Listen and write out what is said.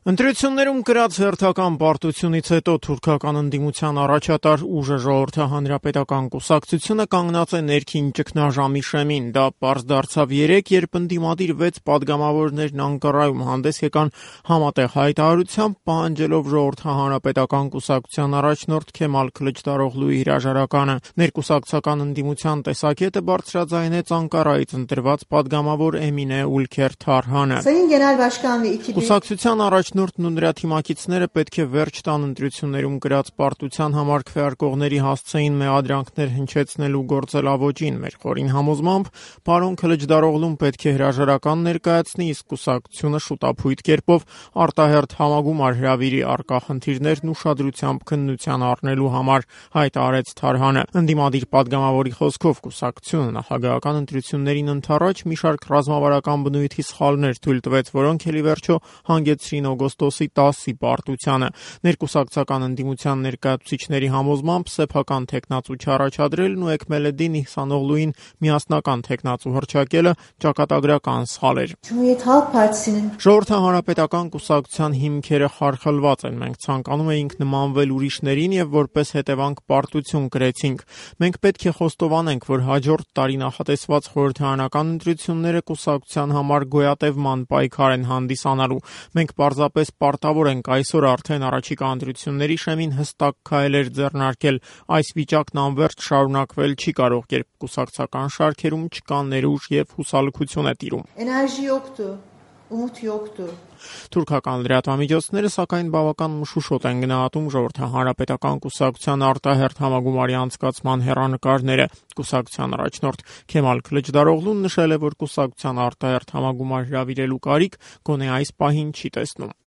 Ընտրություններում կրած հերթական պարտությունից հետո թուրքական ընդդիմության առաջատար ուժը Ժողովրդի հանրապետական կուսակցությունը կանգնած է ներքին ճգնաժամի շեմին։ Դա պարզ դարձավ երեկ, երբ ընդդիմադիր 6 պատգամավորներն Անկարայում հանդես եկան համատեղ հայտարարությամբ, պահանջելով Ժողովրդի հանրապետական կուսակցության առաջնորդ Քեմալ Քլիչդարօղլուի հրաժարականը։ Ներկուսակցական ընդդիմության տեսակետը բարձրաձայնեց Անկարայից ընտրված պատգամավոր Էմինե Ուլքեր Թարհանը։ Կուսակցության առաջնորդն ու նրա թիմակիցները պետք է վերջ տան ընտրություններում կրած պարտության համար քվեարկողների հասցեին մեղադրանքներ հնչեցնելու գործելավոճին։ Մեր խորին համոզմամբ պարոն Քլիչդարօղլուն պետք է հրաժարական ներկայացնի, իսկ կուսակցությունը շուտափույթ կերպով արտահերթ համագումար հրավիրի առկա խնդիրներն ուշադրությամբ քննության առնելու համար, հայտարարեց Թարհանը։ Ընդդիմադիր պատգամավորի խոսքով կուսակցությունը նախագահական ընտրություններին ընդառաջ մի շարք ռազմավարական բնույթի սխալներ թույլ տվեց, որոնք էլ ի վերջո հանգեցրին օգոստոսի 10-ի պարտությանը։ Ներկուսակցական ընդդիմության ներկայացուցիչների համոզմամբ սեփական թեկնածու չառաջադրելն ու Էքմելեդդին Իհսանօղլուին միասնական թեկնածու հռչակելը ճակատագրական սխալ էր։ Ժողովրդի հանրապետական կուսակցության հիմքերը խարխլված են։ Մենք ցանկանում էինք նմանվել ուրիշներին եւ որպես հետևանք պարտություն կրեցինք։ Մենք պետք է խոստովանենք, որ հաջորդ տարի նախատեսված խորհրդարանական ընտրությունները կուսակցության համար գոյատևման պայքար են հանդիսանալու։ Մենք պարզապես պարտավոր ենք այսօր արդեն առաջիկա ընտրությունների շեմին հստակ քայլեր ձեռնարկել։ Այս վիճակն անվերջ շարունակվել չի կարող, երբ կուսակցական շարքերում չկա ներուժ եւ հուսալքություն է տիրում։ Թուրքական լրատվամիջոցները սակայն բավական մշուշոտ են գնահատում Ժողովրդի հանրապետական կուսակցության արտահերթ համագումարի անցկացման հեռանկարները։ Կուսակցության առաջնորդ Քեմալ Քլիչդարօղլուն նշել է, որ կուսակցության արտահերթ համագումար հրավիրելու կարիք գոնե այս պահին չի տեսնում։